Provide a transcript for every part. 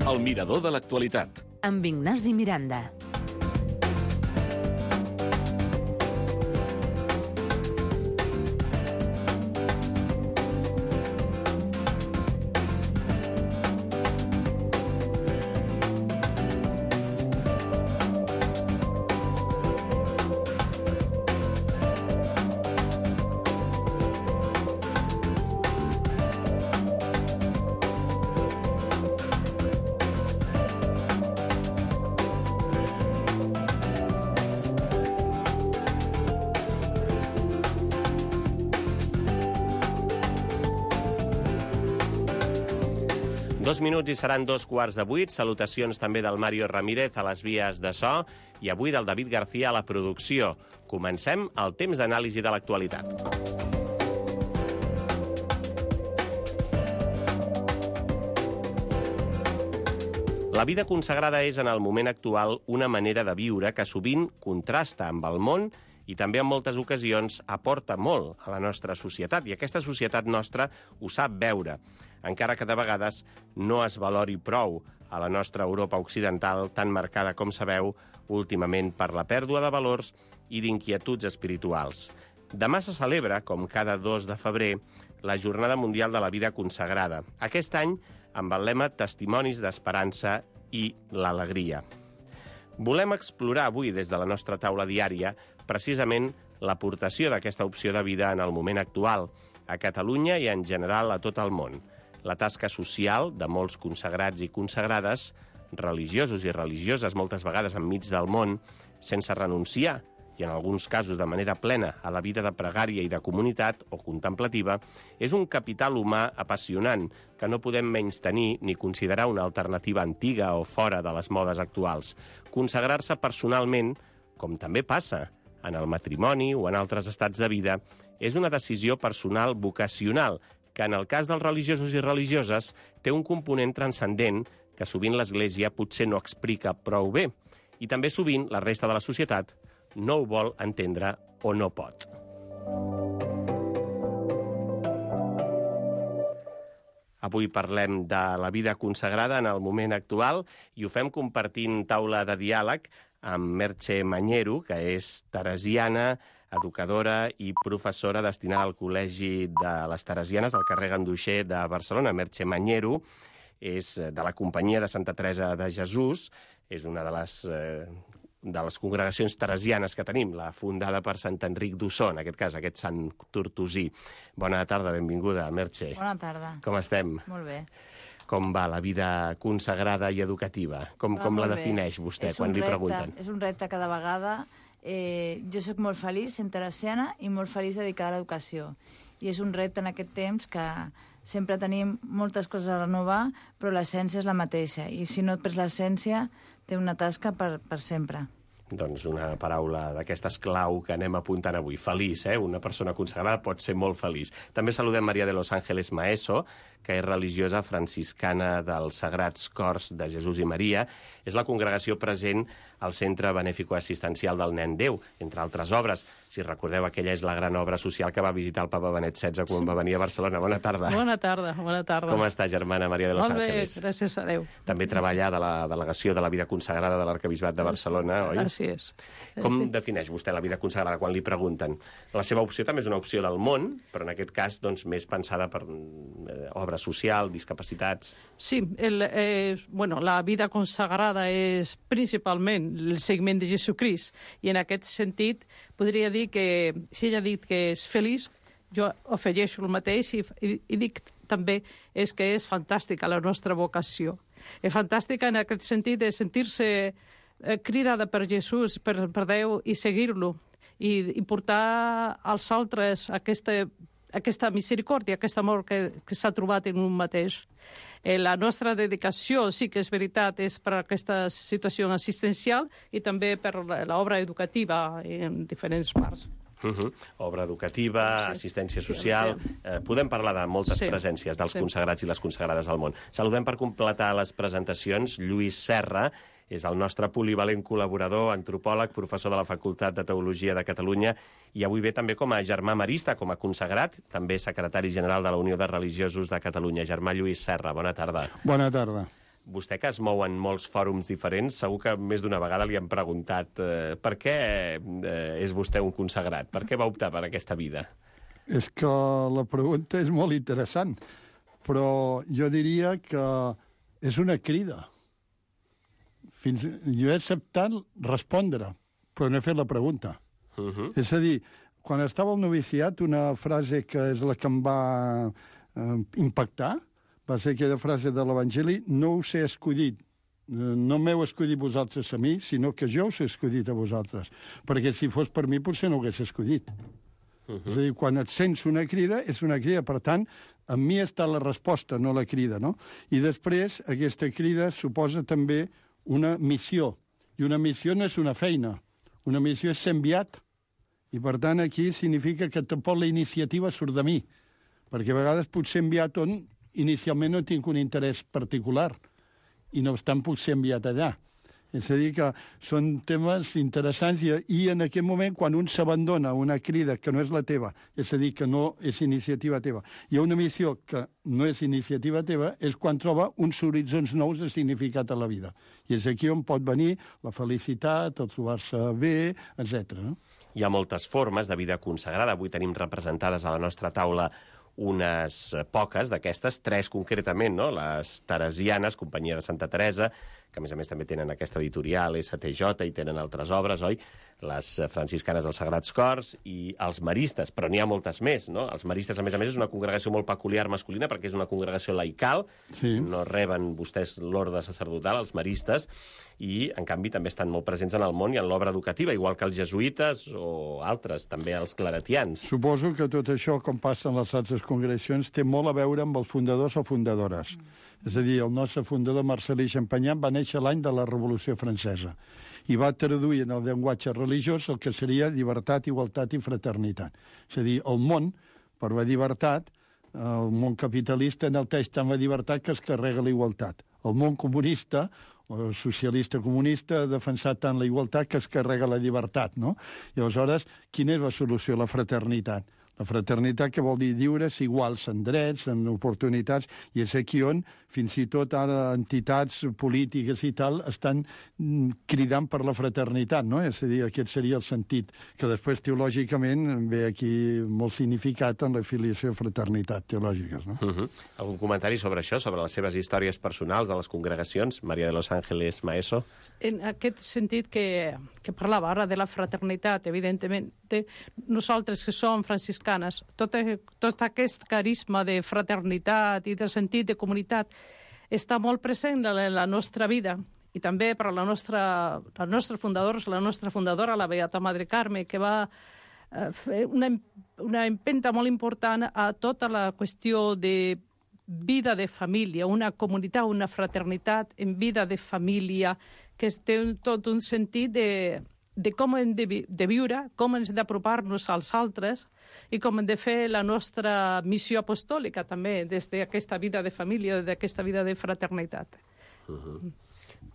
El mirador de l'actualitat. Amb Ignasi Miranda. Dos minuts i seran 2:15. Salutacions també del Mario Ramírez a les vies de so i avui del David García a la producció. Comencem el temps d'anàlisi de l'actualitat. La vida consagrada és, en el moment actual, una manera de viure que sovint contrasta amb el món i també en moltes ocasions aporta molt a la nostra societat. I aquesta societat nostra ho sap veure, encara que de vegades no es valori prou a la nostra Europa occidental, tan marcada, com sabeu, últimament per la pèrdua de valors i d'inquietuds espirituals. Demà se celebra, com cada 2 de febrer, la Jornada Mundial de la Vida Consagrada. Aquest any amb el lema Testimonis d'Esperança i l'Alegria. Volem explorar avui, des de la nostra taula diària, precisament l'aportació d'aquesta opció de vida en el moment actual, a Catalunya i en general a tot el món. La tasca social de molts consagrats i consagrades, religiosos i religioses, moltes vegades enmig del món, sense renunciar, i en alguns casos de manera plena, a la vida de pregària i de comunitat o contemplativa, és un capital humà apassionant que no podem menystenir ni considerar una alternativa antiga o fora de les modes actuals. Consagrar-se personalment, com també passa en el matrimoni o en altres estats de vida, és una decisió personal vocacional que, en el cas dels religiosos i religioses, té un component transcendent que sovint l'Església potser no explica prou bé. I també sovint la resta de la societat no ho vol entendre o no pot. Avui parlem de la vida consagrada en el moment actual i ho fem compartint taula de diàleg amb Merche Mañero, que és teresiana, educadora i professora destinada al Col·legi de les Teresianes del carrer Ganduxer de Barcelona. Merche Mañero és de la Companyia de Santa Teresa de Jesús, és una de les congregacions teresianes que tenim, la fundada per Sant Enric d'Ossó, en aquest cas, aquest sant tortosí. Bona tarda, benvinguda, Merche. Bona tarda. Com estem? Molt bé. Com va la vida consagrada i educativa? Com la defineix vostè quan li pregunten? És un repte cada vegada. Jo sóc molt feliç sent teresiana i molt feliç dedicada a l'educació. I és un repte en aquest temps que sempre tenim moltes coses a renovar, però l'essència és la mateixa. I si no et prens l'essència, té una tasca per sempre. Doncs una paraula d'aquestes clau que anem apuntant avui. Feliç, Una persona consagrada pot ser molt feliç. També saludem Maria de los Ángeles Maeso, que és religiosa franciscana dels Sagrats Cors de Jesús i Maria. És la congregació present al Centre Benèfico Assistencial del Nen Déu, entre altres obres. Si recordeu, aquella és la gran obra social que va visitar el papa Benet XVI quan va venir a Barcelona. Bona tarda. Bona tarda, bona tarda. Com està, germana Maria de los Ángeles? Molt bé, gràcies a Déu. També treballa de la Delegació de la Vida Consagrada de l'Arquebisbat de Barcelona, oi? Així és. Com defineix vostè la vida consagrada quan li pregunten? La seva opció també és una opció del món, però en aquest cas doncs, més pensada per obra social, discapacitats... Sí, la vida consagrada és principalment el seguiment de Jesucrist, i en aquest sentit podria dir que, si ella ha dit que és feliç, jo afegeixo el mateix i dic també que és fantàstica la nostra vocació. És fantàstica en aquest sentit de sentir-se cridada per Jesús, per Déu, i seguir-lo, i portar als altres aquesta misericòrdia, aquest amor que s'ha trobat en un mateix. La nostra dedicació, sí que és veritat, és per aquesta situació assistencial i també per l'obra educativa en diferents parts. Obra educativa, assistència social... Podem parlar de moltes presències dels consagrats i les consagrades al món. Saludem per completar les presentacions Lluís Serra, és el nostre polivalent col·laborador, antropòleg, professor de la Facultat de Teologia de Catalunya, i avui ve també com a germà marista, com a consagrat, també secretari general de la Unió de Religiosos de Catalunya. Germà Lluís Serra, bona tarda. Bona tarda. Vostè, que es mou en molts fòrums diferents, segur que més d'una vegada li han preguntat per què és vostè un consagrat? Per què va optar per aquesta vida? És que la pregunta és molt interessant, però jo diria que és una crida. Jo he acceptat respondre, però no he fet la pregunta. És a dir, quan estava al noviciat, una frase que és la que em va impactar va ser aquella frase de l'Evangeli: no us he escollit, no m'heu escollit vosaltres a mi, sinó que jo us he escollit a vosaltres. Perquè si fos per mi potser no ho hagués escollit. És a dir, quan et sents una crida, és una crida. Per tant, en mi està la resposta, no la crida, no? I després, aquesta crida suposa també una missió. I una missió no és una feina. Una missió és ser enviat. I, per tant, aquí significa que tampoc la iniciativa surt de mi. Perquè a vegades puc ser enviat on inicialment no tinc un interès particular i no obstant puc ser enviat allà. És a dir, que són temes interessants i en aquest moment, quan un s'abandona una crida que no és la teva, és a dir, que no és iniciativa teva, i una missió que no és iniciativa teva, és quan troba uns horitzons nous de significat a la vida. I és aquí on pot venir la felicitat, el trobar-se bé, etc. No? Hi ha moltes formes de vida consagrada. Avui tenim representades a la nostra taula unes poques d'aquestes, 3 concretament, no? Les teresianes, Companyia de Santa Teresa, que a més també tenen aquesta editorial, STJ, i tenen altres obres, oi? Les franciscanes dels Sagrats Cors i els maristes, però n'hi ha moltes més, no? Els maristes, a més, és una congregació molt peculiar masculina perquè és una congregació laical, no reben vostès l'ordre sacerdotal, els maristes, i, en canvi, també estan molt presents en el món i en l'obra educativa, igual que els jesuïtes o altres, també els claretians. Suposo que tot això, com passa en les altres congregacions, té molt a veure amb els fundadors o fundadores. És a dir, el nostre fundador, Marcel·lí Champagnat, va néixer l'any de la Revolució Francesa i va traduir en el llenguatge religiós el que seria llibertat, igualtat i fraternitat. És a dir, el món, per la llibertat, el món capitalista enalteix tant la llibertat que es carrega la igualtat. El món comunista, o socialista comunista, ha defensat tant la igualtat que es carrega la llibertat, no? I aleshores, quina és la solució? La fraternitat. La fraternitat, que vol dir lliures, iguals en drets, en oportunitats, i és aquí on, fins i tot ara, entitats polítiques i tal, estan cridant per la fraternitat, no? És a dir, aquest seria el sentit, que després, teològicament, ve aquí molt significat en la filiació i fraternitat teològiques, no? Algun comentari sobre això, sobre les seves històries personals de les congregacions? Maria de los Ángeles Maeso. En aquest sentit que parlava ara de la fraternitat, evidentment, nosaltres que som franciscanes, tot aquest carisma de fraternitat i de sentit de comunitat està molt present en la nostra vida, i també per la nostra fundadora, la Beata Madre Carme, que va fer una empenta molt important a tota la qüestió de vida de família, una comunitat, una fraternitat en vida de família, que té tot un sentit de com hem de viure, com hem d'apropar-nos als altres i com hem de fer la nostra missió apostòlica també, des d'aquesta vida de família, d'aquesta vida de fraternitat.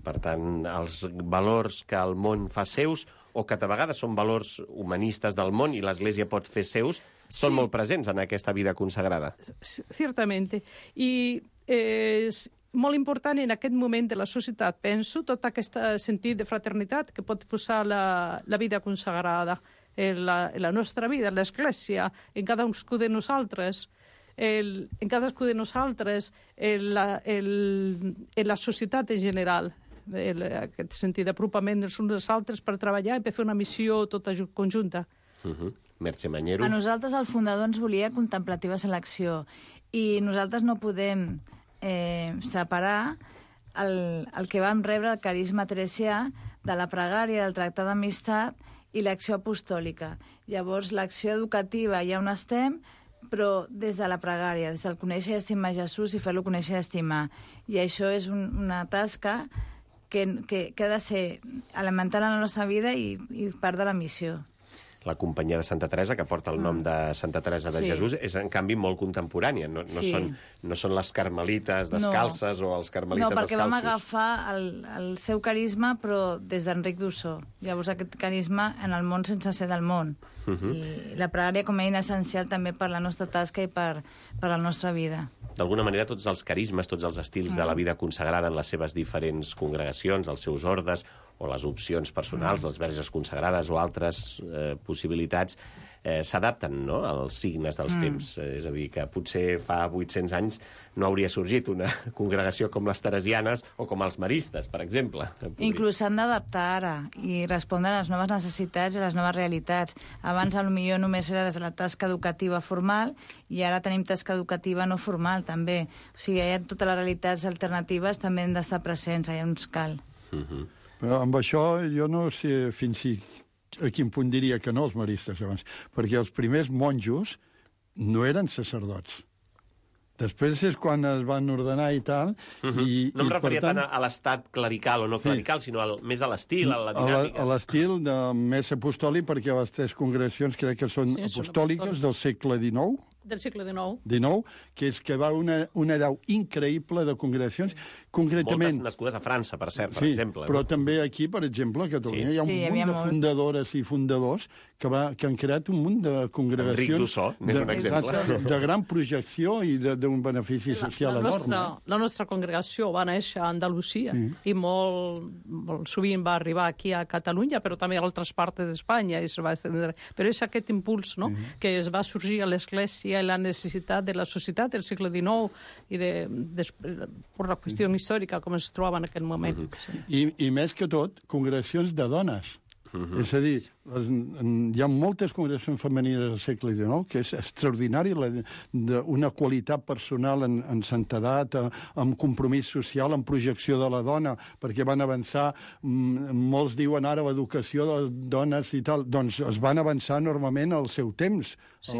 Per tant, els valors que el món fa seus, o que de vegades són valors humanistes del món i l'Església pot fer seus, són molt presents en aquesta vida consagrada. Certament. I és molt important en aquest moment de la societat, penso, tot aquest sentit de fraternitat que pot posar la vida consagrada en la nostra vida, en l'Església, en cadascú de nosaltres, en la societat en general, aquest sentit d'apropament dels uns dels altres per treballar i per fer una missió tota conjunta. Merche Mañero. A nosaltres el fundador ens volia contemplativa selecció i nosaltres no podem separar el que vam rebre el carisma teresià de la pregària, del tractat d'amistat i l'acció apostòlica. Llavors, l'acció educativa ja on estem, però des de la pregària, des del conèixer i estimar Jesús i fer-lo conèixer i estimar. I això és una tasca que ha de ser elemental en la nostra vida i part de la missió. la companyia de Santa Teresa, que porta el nom de Santa Teresa de Jesús, és en canvi molt contemporània. No són les carmelites descalces o els carmelites descalços. No, perquè vam agafar el seu carisma, però des d'Enric d'Ossó. Llavors aquest carisma en el món sense ser del món. I la pregària com a eina essencial també per la nostra tasca i per la nostra vida. D'alguna manera, tots els carismes, tots els estils de la vida consagrada en les seves diferents congregacions, els seus ordes, o les opcions personals, les verges consagrades o altres possibilitats, s'adapten, no?, als signes dels temps. És a dir, que potser fa 800 anys no hauria sorgit una congregació com les teresianes o com els maristes, per exemple. Inclús s'han d'adaptar ara i respondre a les noves necessitats i a les noves realitats. Abans, potser només era des de la tasca educativa formal i ara tenim tasca educativa no formal, també. O sigui, totes les realitats alternatives també han d'estar presents, allà on cal. Però amb això jo no sé a quin punt diria que no els maristes abans, perquè els primers monjos no eren sacerdots. Després és quan es van ordenar i tal. No em referia tant a l'estat clerical o no clerical, sinó més a l'estil, a la dinàmica. A l'estil més apostòlic, perquè les tres congregacions crec que són apostòliques del segle XIX. Del segle XIX. Que és que va una deu increïble de congregacions, concretament... Moltes nascudes a França, per cert, per exemple. Però també aquí, per exemple, a Catalunya, hi ha un munt de fundadores i fundadors que han creat un munt de congregacions... Enric d'Ossó, n'és un exemple. De gran projecció i d'un benefici social enorme. La nostra congregació va néixer a Andalusia i molt sovint va arribar aquí a Catalunya, però també a altres parts d'Espanya i se va estendre. Però és aquest impuls, no?, que es va sorgir a l'Església i la necessitat de la societat del segle XIX i per la qüestió històrica com es trobava en aquell moment. I més que tot, congregacions de dones. És a dir, hi ha moltes congregacions femenines al segle XIX que és extraordinari, una qualitat personal en santedat, amb compromís social, en projecció de la dona, perquè van avançar, molts diuen ara l'educació de les dones i tal, doncs es van avançar enormement al seu temps, a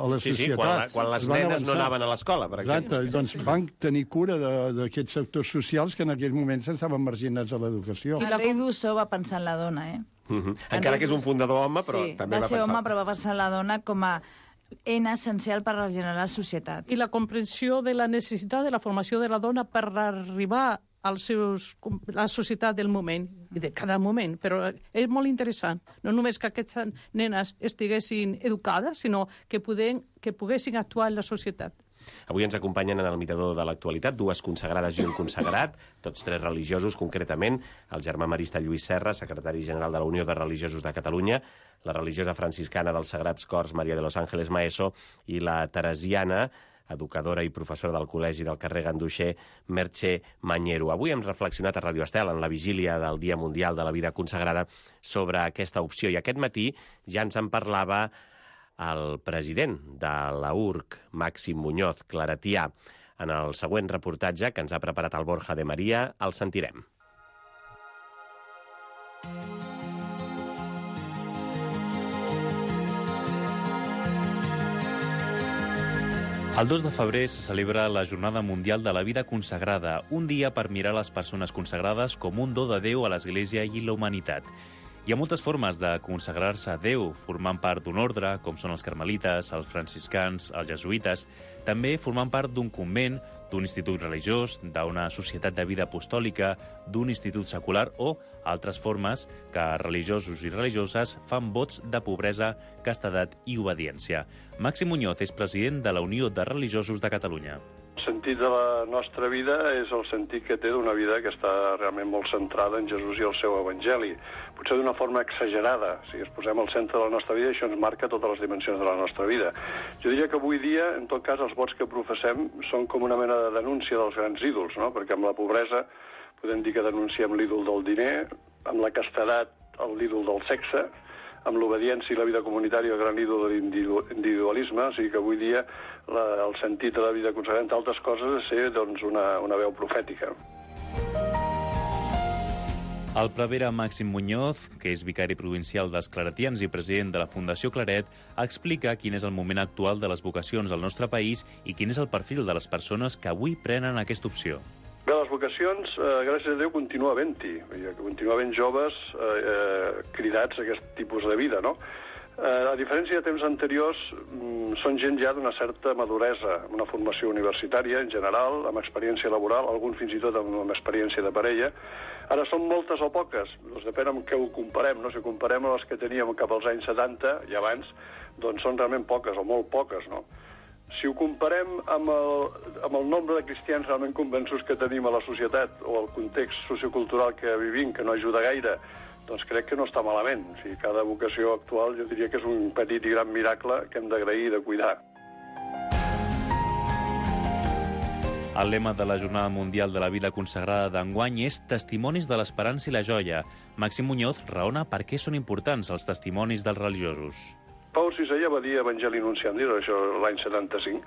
la societat. Quan les nenes no anaven a l'escola, per exemple. Exacte, doncs van tenir cura d'aquests sectors socials que en aquells moments estaven marginats a l'educació. I Enric d'Ossó va pensar en la dona, Encara que és un fundador home, però també va pensar... Va ser home, però va pensar en la dona com a eina essencial per regenerar la societat. I la comprensió de la necessitat de la formació de la dona per arribar a la societat del moment, de cada moment, però és molt interessant. No només que aquestes nenes estiguessin educades, sinó que poguessin actuar en la societat. Avui ens acompanyen en el mirador de l'actualitat dues consagrades i un consagrat, tots tres religiosos, concretament el germà marista Lluís Serra, secretari general de la Unió de Religiosos de Catalunya, la religiosa franciscana dels Sagrats Cors, Maria de los Ángeles Maeso, i la teresiana, educadora i professora del Col·legi del carrer Ganduxer, Merche Mañero. Avui hem reflexionat a Radio Estel, en la vigília del Dia Mundial de la Vida Consagrada, sobre aquesta opció. I aquest matí ja ens en parlava el president de la URC, Màxim Muñoz, claretià. En el següent reportatge que ens ha preparat el Borja de Maria, el sentirem. El 2 de febrer se celebra la Jornada Mundial de la Vida Consagrada, un dia per mirar les persones consagrades com un do de Déu a l'Església i la humanitat. Hi ha moltes formes de consagrar-se a Déu, formant part d'un ordre, com són els carmelites, els franciscans, els jesuïtes, també formant part d'un convent, d'un institut religiós, d'una societat de vida apostòlica, d'un institut secular o altres formes que religiosos i religioses fan vots de pobresa, castedat i obediència. Màxim Muñoz és president de la Unió de Religiosos de Catalunya. El sentit de la nostra vida és el sentit que té d'una vida que està realment molt centrada en Jesús i el seu evangeli. Potser d'una forma exagerada. Si ens posem al centre de la nostra vida, això ens marca totes les dimensions de la nostra vida. Jo diria que avui dia, en tot cas, els vots que professem són com una mena de denúncia dels grans ídols, no? Perquè amb la pobresa podem dir que denunciem l'ídol del diner, amb la castedat l'ídol del sexe, amb l'obediència i la vida comunitària el gran ídol de l'individualisme, o sigui que avui dia el sentit de la vida consagrada, entre altres coses, és ser doncs, una veu profètica. El prevere Màxim Muñoz, que és vicari provincial dels claretians i president de la Fundació Claret, explica quin és el moment actual de les vocacions al nostre país i quin és el perfil de les persones que avui prenen aquesta opció. Bé, les vocacions, gràcies a Déu, continua havent-hi. Continua havent joves cridats a aquest tipus de vida, no? A diferència de temps anteriors, són gent ja d'una certa maduresa, amb una formació universitària en general, amb experiència laboral, alguns fins i tot amb experiència de parella. Ara són moltes o poques, doncs depèn amb què ho comparem, no? Si comparem amb les que teníem cap als anys 70 i abans, doncs són realment poques o molt poques, no? Si ho comparem amb el nombre de cristians realment convençuts que tenim a la societat o el context sociocultural que vivim, que no ajuda gaire, doncs crec que no està malament. O sigui, cada vocació actual jo diria que és un petit i gran miracle que hem d'agrair i de cuidar. El lema de la Jornada Mundial de la Vida Consagrada d'enguany és Testimonis de l'Esperança i la Joia. Màxim Muñoz raona per què són importants els testimonis dels religiosos. Pau VI ja va dir Evangeli Nunciandi, això l'any 75,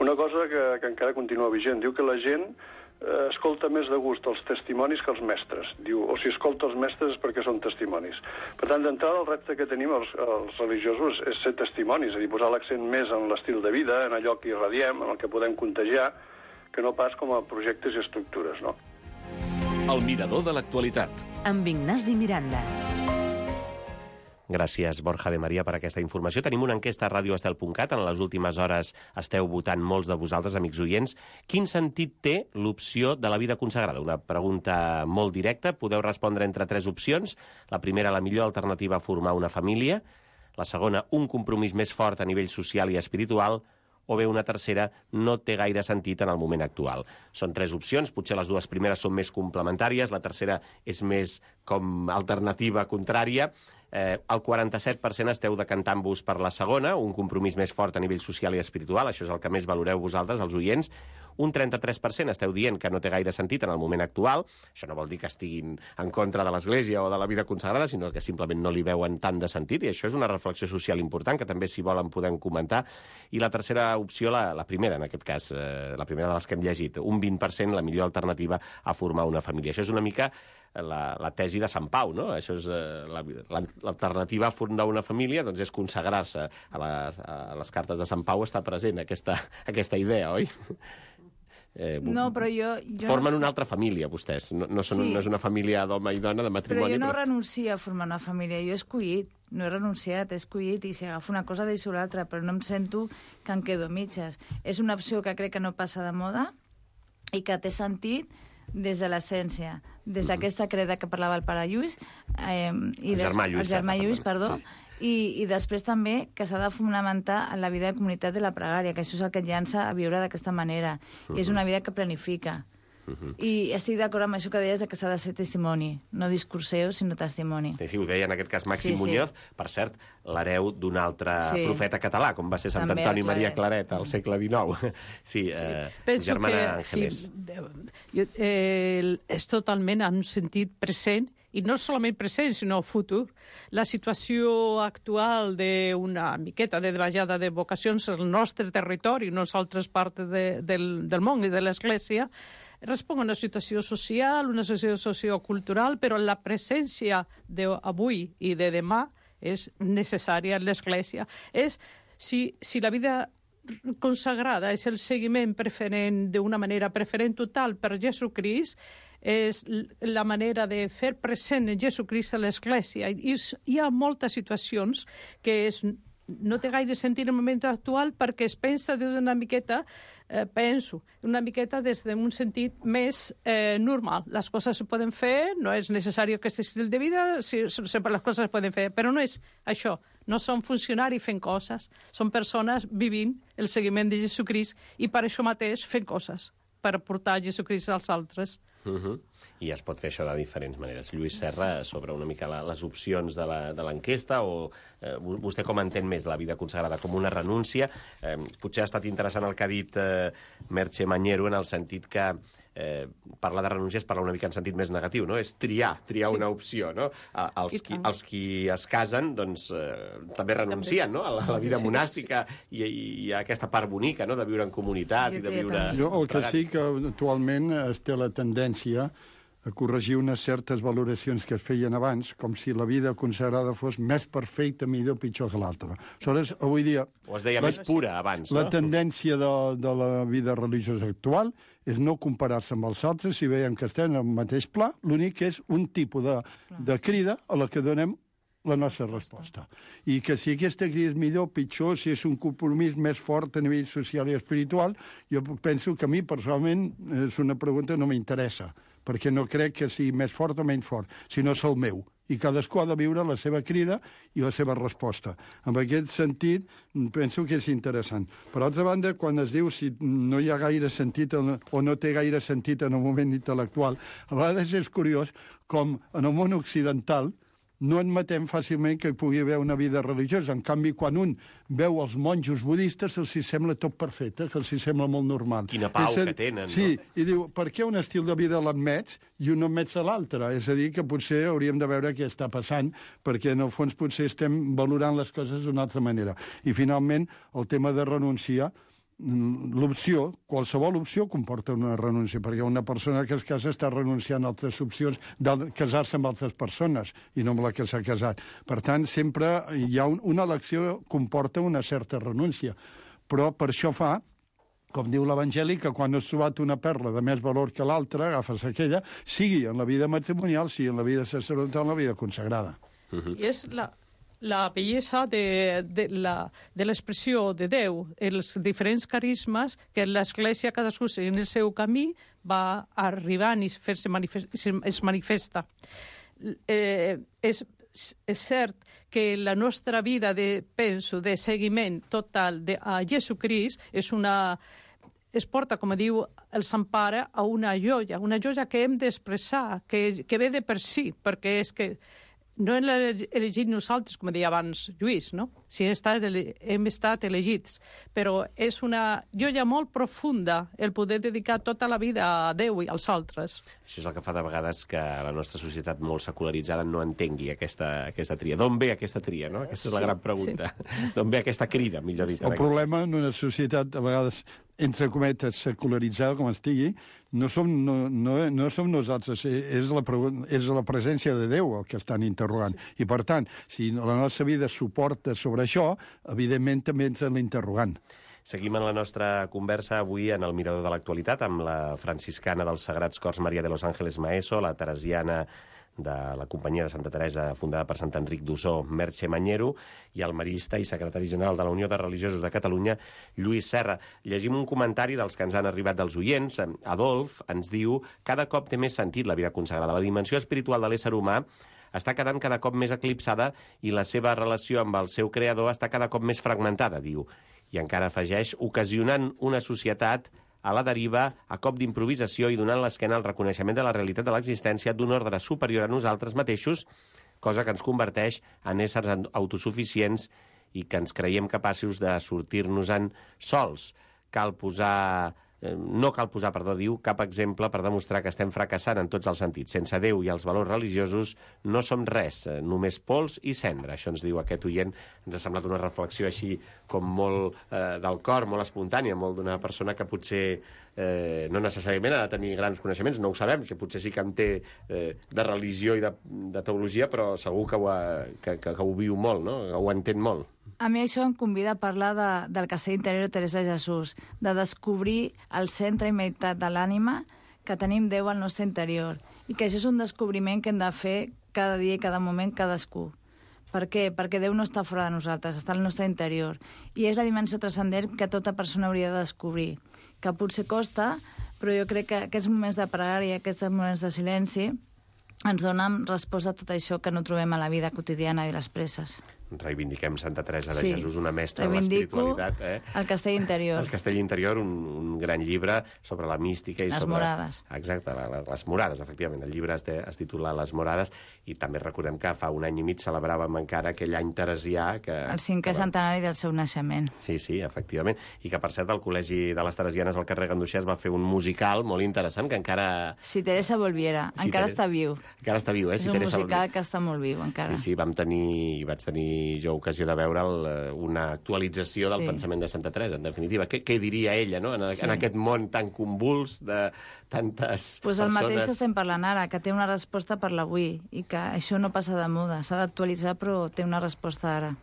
una cosa que encara continua vigent. Diu que la gent escolta més de gust els testimonis que els mestres. Diu, o si escolta els mestres és perquè són testimonis. Per tant, d'entrada, el repte que tenim els religiosos és ser testimonis, és a dir, posar l'accent més en l'estil de vida, en allò que irradiem, en el que podem contagiar, que no pas com a projectes i estructures, no? El mirador de l'actualitat. Amb Ignasi Miranda. Gràcies, Borja de Maria, per aquesta informació. Tenim una enquesta a radioestel.cat. En les últimes hores esteu votant molts de vosaltres, amics oients. Quin sentit té l'opció de la vida consagrada? Una pregunta molt directa. Podeu respondre entre 3 opcions. La primera, la millor alternativa a formar una família. La segona, un compromís més fort a nivell social i espiritual. O bé una tercera, no té gaire sentit en el moment actual. Són 3 opcions, potser les 2 primeres són més complementàries, la tercera és més com alternativa contrària. El 47% esteu decantant-vos per la segona, un compromís més fort a nivell social i espiritual, això és el que més valoreu vosaltres, els oients. Un 33% esteu dient que no té gaire sentit en el moment actual. Això no vol dir que estiguin en contra de l'Església o de la vida consagrada, sinó que simplement no li veuen tant de sentit, i això és una reflexió social important, que també, si volen, podem comentar. I la tercera opció, la primera, en aquest cas, la primera de les que hem llegit, un 20%, la millor alternativa a formar una família. Això és una mica la tesi de Sant Pau, no? Això és l'alternativa a fundar una família, doncs és consagrar-se. A les cartes de Sant Pau està present aquesta idea, oi? No, però jo... Formen una altra família, vostès. No és una família d'home i dona, de matrimoni. Però jo no renuncio a formar una família. Jo he escollit, no he renunciat, he escollit, i si agafo una cosa deixo l'altra, però no em sento que em quedo mitges. És una opció que crec que no passa de moda i que té sentit des de l'essència, des d'aquesta creda que parlava el pare Lluís, el germà Lluís, perdó, i després també que s'ha de fonamentar en la vida de comunitat de la pregària, que això és el que et llança a viure d'aquesta manera, i és una vida que planifica. I estic d'acord amb això que deies de que s'ha de ser testimoni, no discurseu, sinó testimoni. Sí, ho deia en aquest cas Màxim Muñoz, per cert, l'hereu d'un altre profeta català, com va ser Sant Antoni Maria Claret al segle XIX. Sí, germana Ángeles. És totalment en un sentit present, i no solament present, sinó futur. La situació actual d'una miqueta de davallada de vocacions al nostre territori, no a altres parts del món i de l'Església, respon a una situació social, una situació sociocultural, però la presència d'avui i de demà és necessària en l'Església. Si la vida consagrada és el seguiment preferent, d'una manera preferent total per Jesucrist, és la manera de fer present en Jesucrist a l'Església. I hi ha moltes situacions que no té gaire sentit en el moment actual perquè es pensa d'una miqueta, una miqueta des d'un sentit més normal. Les coses se poden fer, no és necessari aquest estil de vida, sempre les coses es poden fer, però no és això. No són funcionaris fent coses, són persones vivint el seguiment de Jesucrist i per això mateix fent coses, per portar Jesucrist als altres. I es pot fer això de diferents maneres. Lluís Serra, sobre una mica les opcions de l'enquesta, o vostè com entén més la vida consagrada? Com una renúncia? Potser ha estat interessant el que ha dit Merche Mañero, en el sentit que parlar de renúncia és parlar una mica en sentit més negatiu, no? És triar una opció, no? Els qui es casen, doncs, també renuncien, no? A la vida monàstica i a aquesta part bonica, no? De viure en comunitat i de viure... El que sí que actualment es té la tendència a corregir unes certes valoracions que es feien abans, com si la vida consagrada fos més perfecta, millor, pitjor que l'altra. Aleshores, avui dia... O es deia més pura abans, no? La tendència de la vida religiosa actual és no comparar-se amb els altres si veiem que estem en el mateix pla, l'únic que és un tipus de crida a la que donem la nostra resposta. I que si aquesta crida és millor, pitjor, si és un compromís més fort a nivell social i espiritual, jo penso que a mi, personalment, és una pregunta que no m'interessa, perquè no crec que sigui més fort o menys fort, sinó és el meu. I cadascú ha de viure la seva crida i la seva resposta. En aquest sentit, penso que és interessant. Per altra banda, quan es diu si no hi ha gaire sentit o no té gaire sentit en el moment intel·lectual, a vegades és curiós com en el món occidental no admetem fàcilment que hi pugui haver una vida religiosa. En canvi, quan un veu els monjos budistes, els hi sembla tot perfecte, que els hi sembla molt normal. Quina pau que tenen, sí, no? I diu, per què un estil de vida l'admets i un no admets a l'altre? És a dir, que potser hauríem de veure què està passant, perquè en el fons potser estem valorant les coses d'una altra manera. I finalment, el tema de renunciar, l'opció, qualsevol opció comporta una renúncia, perquè una persona que es casa està renunciant a altres opcions de casar-se amb altres persones i no amb la que s'ha casat. Per tant, sempre hi ha una elecció comporta una certa renúncia. Però per això fa, com diu l'Evangeli, que quan has trobat una perla de més valor que l'altra, agafes aquella, sigui en la vida matrimonial, sigui en la vida sacerdotal, en la vida consagrada. I és la bellesa de l'expressió de Déu, els diferents carismes que l'Església, cadascú en el seu camí, va arribant i es manifesta. És cert que la nostra vida de seguiment total a Jesucrist es porta, com diu el Sant Pare, a una joia que hem d'expressar, que ve de per si, perquè és que no hem elegit nosaltres, com deia abans Lluís, no? Si hem estat elegits, però és una joia molt profunda el poder dedicar tota la vida a Déu i als altres. Això és el que fa de vegades que la nostra societat molt secularitzada no entengui aquesta tria. D'on ve aquesta tria, no? Aquesta és la gran pregunta. Sí. D'on ve aquesta crida, millor dit. El problema en una societat, a vegades, entre cometes, secularitzada, com es digui, no som nosaltres, és la presència de Déu el que estan interrogant. I, per tant, si la nostra vida suporta sobre això, evidentment també ens l'interrogant. Seguim en la nostra conversa avui en el Mirador de l'Actualitat amb la franciscana dels Sagrats Cors Maria de los Ángeles Maeso, la teresiana de la Companyia de Santa Teresa, fundada per Sant Enric d'Ossó, Merche Mañero, i el marista i secretari general de la Unió de Religiosos de Catalunya, Lluís Serra. Llegim un comentari dels que ens han arribat dels oients. Adolf ens diu: cada cop té més sentit la vida consagrada. La dimensió espiritual de l'ésser humà està quedant cada cop més eclipsada i la seva relació amb el seu creador està cada cop més fragmentada, diu. I encara afegeix, ocasionant una societat a la deriva, a cop d'improvisació i donant l'esquena al reconeixement de la realitat de l'existència d'un ordre superior a nosaltres mateixos, cosa que ens converteix en éssers autosuficients i que ens creiem capaços de sortir-nos-en sols. No cal posar, diu, cap exemple per demostrar que estem fracassant en tots els sentits. Sense Déu i els valors religiosos no som res, només pols i cendra. Això ens diu aquest oient. Ens ha semblat una reflexió així com molt del cor, molt espontània, molt d'una persona que potser no necessàriament ha de tenir grans coneixements, no ho sabem, que potser sí que en té de religió i de teologia, però segur que ho viu molt, no? Que ho entén molt. A mi això em convida a parlar del castell interior de Teresa de Jesús, de descobrir el centre i meitat de l'ànima que tenim Déu al nostre interior, i que això és un descobriment que hem de fer cada dia i cada moment cadascú. Per què? Perquè Déu no està fora de nosaltres, està al nostre interior. I és la dimensió transcendent que tota persona hauria de descobrir, que potser costa, però jo crec que aquests moments de pregària, aquests moments de silenci, ens donen resposta a tot això que no trobem a la vida quotidiana i les presses. Reivindiquem Santa Teresa de Jesús, una mestra de l'espiritualitat. Reivindico el Castell Interior. El Castell Interior, un gran llibre sobre la mística i les sobre... morades. Exacte, les morades, efectivament. El llibre es titula Les morades, i també recordem que fa un any i mig celebràvem encara aquell any teresià que... El 5è centenari del seu naixement. Sí, efectivament. I que, per cert, el Col·legi de les Teresianes al carrer Ganduxer va fer un musical molt interessant que encara... Si Teresa volviera, encara està viu. Encara està viu, És un musical que està molt viu, encara. Sí, vaig tenir tenir jo ocasió de veure'l, una actualització del pensament de Santa Teresa, en definitiva. Què diria ella, no?, en aquest món tan convuls de tantes persones... El mateix que estem parlant ara, que té una resposta per l'avui, i que això no passa de moda, s'ha d'actualitzar, però té una resposta ara.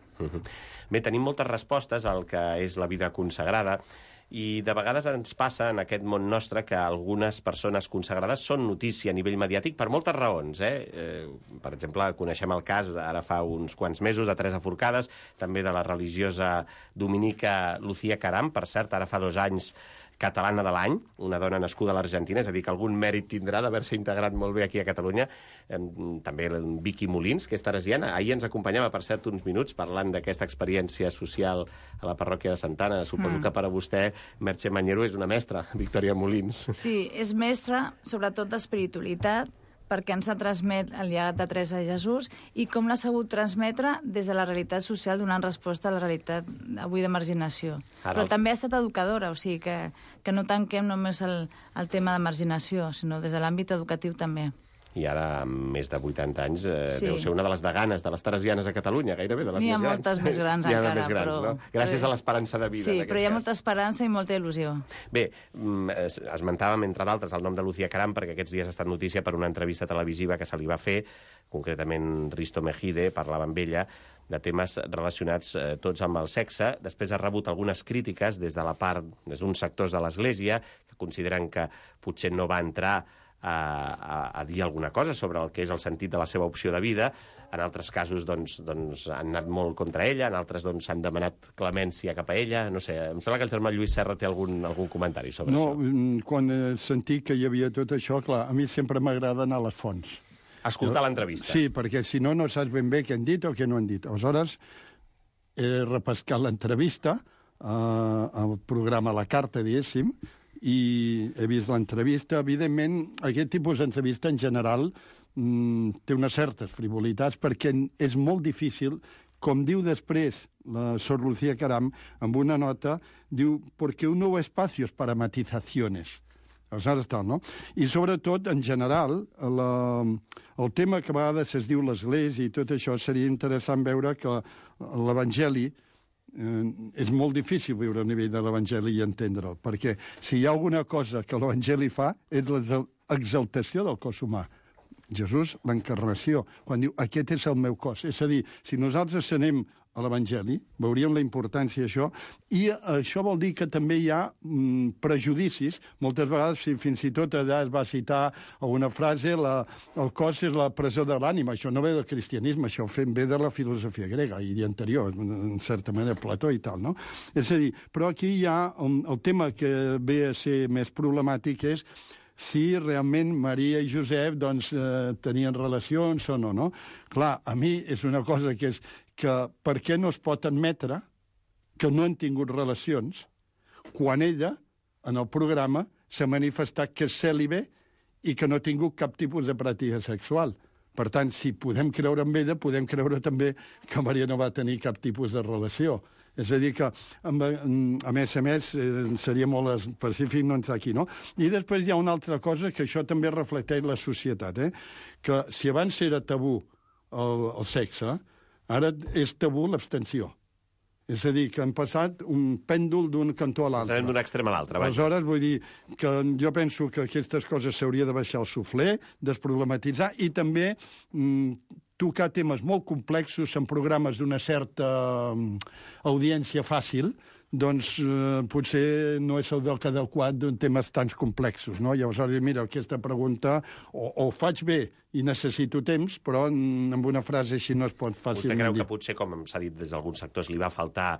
Bé, tenim moltes respostes al que és la vida consagrada, i de vegades ens passa en aquest món nostre que algunes persones consagrades són notícia a nivell mediàtic per moltes raons. Per exemple, coneixem el cas ara fa uns quants mesos de Teresa Forcades, també de la religiosa dominica Lucía Caram, per cert, ara fa 2 anys catalana de l'any, una dona nascuda a l'Argentina, és a dir, que algun mèrit tindrà d'haver-se integrat molt bé aquí a Catalunya. També Vicky Molins, que és teresiana. Ahir ens acompanyava, per cert, uns minuts parlant d'aquesta experiència social a la parròquia de Santa Anna. Suposo que per a vostè, Merche Mañero, és una mestra, Victòria Molins. Sí, és mestra, sobretot d'espiritualitat, perquè ens ha transmet el llegat de Teresa de Jesús i com l'ha sabut transmetre des de la realitat social donant resposta a la realitat avui de marginació. Però també ha estat educadora, o sigui que no tanquem només el tema de marginació, sinó des de l'àmbit educatiu també. I ara, amb més de 80 anys, deu ser una de les deganes de les teresianes a Catalunya, gairebé, de les més grans. N'hi ha moltes més grans encara, més grans, però... No? Gràcies a l'esperança de vida, sí, però hi ha molta esperança i molta il·lusió. Bé, esmentàvem, entre d'altres, el nom de Lucía Caram, perquè aquests dies ha estat notícia per una entrevista televisiva que se li va fer, concretament Risto Mejide parlava amb ella, de temes relacionats tots amb el sexe. Després ha rebut algunes crítiques des d'uns sectors de l'Església que consideren que potser no va entrar a dir alguna cosa sobre el que és el sentit de la seva opció de vida. En altres casos doncs, han anat molt contra ella, en altres s'han demanat clemència cap a ella. No sé, em sembla que el germà Lluís Serra té algun comentari sobre això. No, quan he sentit que hi havia tot això, clar, a mi sempre m'agrada anar a les fonts. Escoltar l'entrevista. Sí, perquè si no, no saps ben bé què han dit o què no han dit. Aleshores, he repescat l'entrevista al programa La Carta, diguéssim, i he vist l'entrevista. Evidentment, aquest tipus d'entrevista, en general, té unes certes frivolitats, perquè és molt difícil, com diu després la Sor Lucía Caram, amb una nota, diu, porque no hubo espacios para matizaciones. Aleshores tal, no? I sobretot, en general, el tema que a vegades es diu l'Església i tot això, seria interessant veure que l'Evangeli és molt difícil viure a nivell de l'Evangeli i entendre'l, perquè si hi ha alguna cosa que l'Evangeli fa és l'exaltació del cos humà. Jesús, l'encarnació, quan diu, aquest és el meu cos. És a dir, si nosaltres anem a l'Evangeli, veuríem la importància d'això, i això vol dir que també hi ha prejudicis. Moltes vegades, fins i tot allà es va citar alguna frase, el cos és la presó de l'ànima. Això no ve del cristianisme, això ve de la filosofia grega i anterior, en certa manera, Plató i tal, no? És a dir, però aquí hi ha el tema que ve a ser més problemàtic és si realment Maria i Josep tenien relacions o no, no? Clar, a mi és una cosa que és que per què no es pot admetre que no han tingut relacions quan ella, en el programa, s'ha manifestat que és cèlibe i que no ha tingut cap tipus de pràctica sexual. Per tant, si podem creure en ella, podem creure també que Maria no va tenir cap tipus de relació. És a dir que, a més, seria molt específic no entrar aquí, no? I després hi ha una altra cosa que això també reflecteix la societat, que si abans era tabú el sexe, ara és tabú l'abstenció. És a dir, que han passat un pèndol d'un cantó a l'altre. Sabem d'un extrem a l'altre. Aleshores, vull dir que jo penso que aquestes coses s'hauria de baixar el suflé, desproblematitzar i també tocar temes molt complexos en programes d'una certa audiència fàcil, doncs potser no és el lloc adequat d'un temes tan complexos, no? Llavors, mira, aquesta pregunta o faig bé i necessito temps, però amb una frase així no es pot fàcilment dir. Vostè creu que potser, com s'ha dit des d'alguns sectors, li va faltar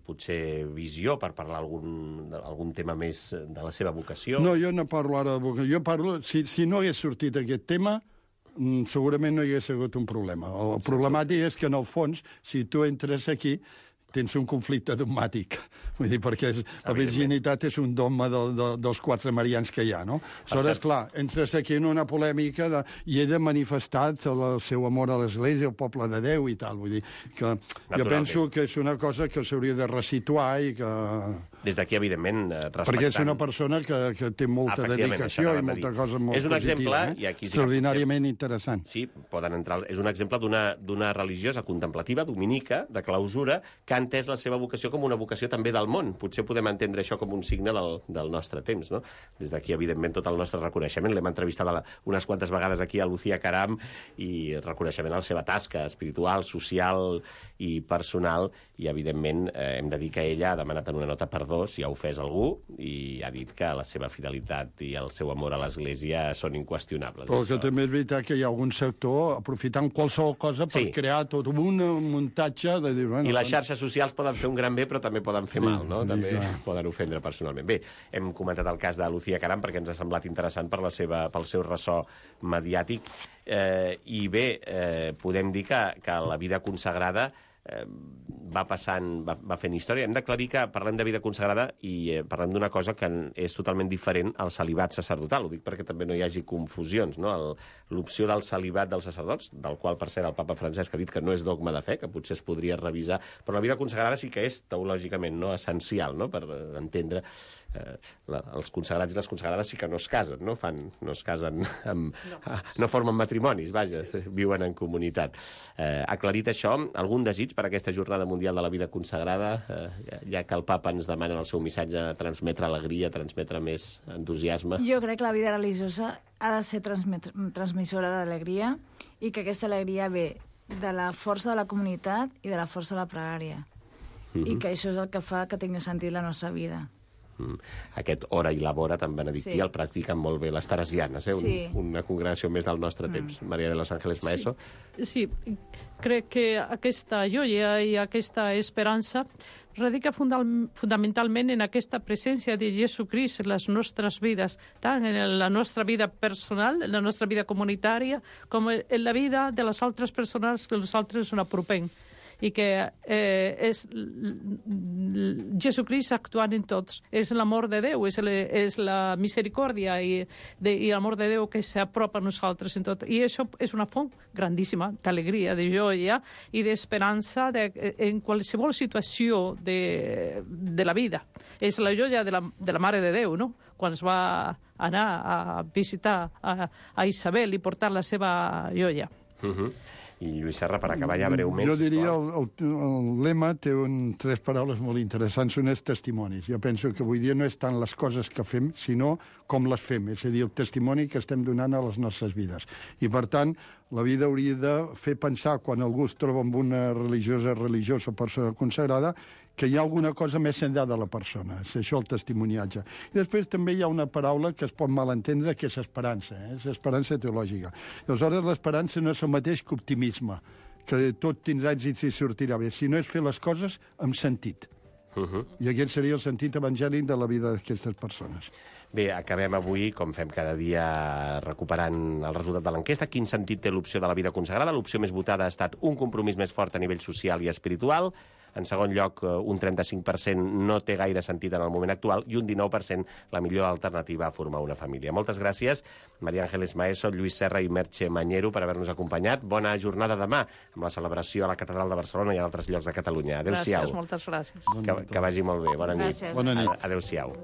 potser visió per parlar algun tema més de la seva vocació? No, jo no parlo ara de vocació. Jo parlo, si no hagués sortit aquest tema, segurament no hi hagués hagut un problema. El problemàtic és que, en el fons, si tu entres aquí, tens un conflicte dogmàtic. Vull dir, perquè la virginitat és un dogma dels 4 marians que hi ha, no? Aleshores, clar, entres aquí en una polèmica i ell ha manifestat el seu amor a l'Església, al poble de Déu i tal. Vull dir que jo penso que és una cosa que s'hauria de resituar i que... Des d'aquí, evidentment, respectant... Perquè és una persona que té molta dedicació i molta cosa molt és un positiva. Exemple, i aquí extraordinàriament interessant. Sí, poden entrar... És un exemple d'una religiosa contemplativa, dominica, de clausura, que ha entès la seva vocació com una vocació també del món. Potser podem entendre això com un signe del nostre temps, no? Des d'aquí, evidentment, tot el nostre reconeixement. L'hem entrevistat unes quantes vegades aquí a Lucía Caram i reconeixement a la seva tasca espiritual, social i personal, i, evidentment, hem de dir que ella ha demanat en una nota perdó si ha ofès algú i ha dit que la seva fidelitat i el seu amor a l'Església són inqüestionables. Però que també és veritat que hi ha algun sector aprofitant qualsevol cosa per crear tot un muntatge de dir... I les xarxes socials poden fer un gran bé, però també poden fer mal, no? També poden ofendre personalment. Bé, hem comentat el cas de Lucía Caram perquè ens ha semblat interessant pel seu ressò mediàtic. I bé, podem dir que la vida consagrada va fent història. Hem d'aclarir que parlem de vida consagrada i parlem d'una cosa que és totalment diferent al celibat sacerdotal. Ho dic perquè també no hi hagi confusions, no? L'opció del celibat dels sacerdots, del qual, per cert, el papa Francesc ha dit que no és dogma de fe, que potser es podria revisar, però la vida consagrada sí que és teològicament essencial, no? Per entendre els consagrats i les consagrades sí que no es casen, no es casen no formen matrimonis, vaja, viuen en comunitat. Aclarit això, algun desig per aquesta Jornada Mundial de la Vida Consagrada, ja que el papa ens demana en el seu missatge transmetre alegria, transmetre més entusiasme? Jo crec que la vida religiosa ha de ser transmissora d'alegria i que aquesta alegria ve de la força de la comunitat i de la força de la pregària. I que això és el que fa que tingui sentit la nostra vida. Aquest hora i labora tan benedictí el practiquen molt bé les teresianes, una congregació més del nostre temps. Maria de los Ángeles Maeso. Sí, crec que aquesta joia i aquesta esperança radica fundamentalment en aquesta presència de Jesucrist en les nostres vides, tant en la nostra vida personal, en la nostra vida comunitària, com en la vida de les altres persones que nosaltres ens apropem. I que és Jesucrist actuant en tots. És l'amor de Déu, és la misericòrdia i l'amor de Déu que s'apropa a nosaltres en tot. I això és una font grandíssima d'alegria, de joia i d'esperança en qualsevol situació de la vida. És la joia de la Mare de Déu, no? Quan es va anar a visitar a Isabel i portar la seva joia. I Lluís Serra, per acabar ja breument... Jo diria, el lema té 3 paraules molt interessants, són els testimonis. Jo penso que avui dia no és tant les coses que fem, sinó com les fem, és a dir, el testimoni que estem donant a les nostres vides. I, per tant, la vida hauria de fer pensar, quan algú es troba amb una religiosa o persona consagrada, que hi ha alguna cosa més enllà de la persona. És això el testimoniatge. I després també hi ha una paraula que es pot malentendre, que és esperança. És esperança teològica. Aleshores, l'esperança no és el mateix que optimisme, que tot tindrà èxits i sortirà bé, sinó és fer les coses amb sentit. I aquest seria el sentit evangèlic de la vida d'aquestes persones. Bé, acabem avui, com fem cada dia, recuperant el resultat de l'enquesta. Quin sentit té l'opció de la vida consagrada? L'opció més votada ha estat un compromís més fort a nivell social i espiritual. En segon lloc, un 35% no té gaire sentit en el moment actual i un 19% la millor alternativa a formar una família. Moltes gràcies, Maria Ángeles Maeso, Lluís Serra i Merche Mañero, per haver-nos acompanyat. Bona jornada demà amb la celebració a la Catedral de Barcelona i a altres llocs de Catalunya. Adéu-siau. Gràcies, moltes gràcies. Que vagi molt bé. Bona nit. Gràcies. Bona nit. Adéu-siau.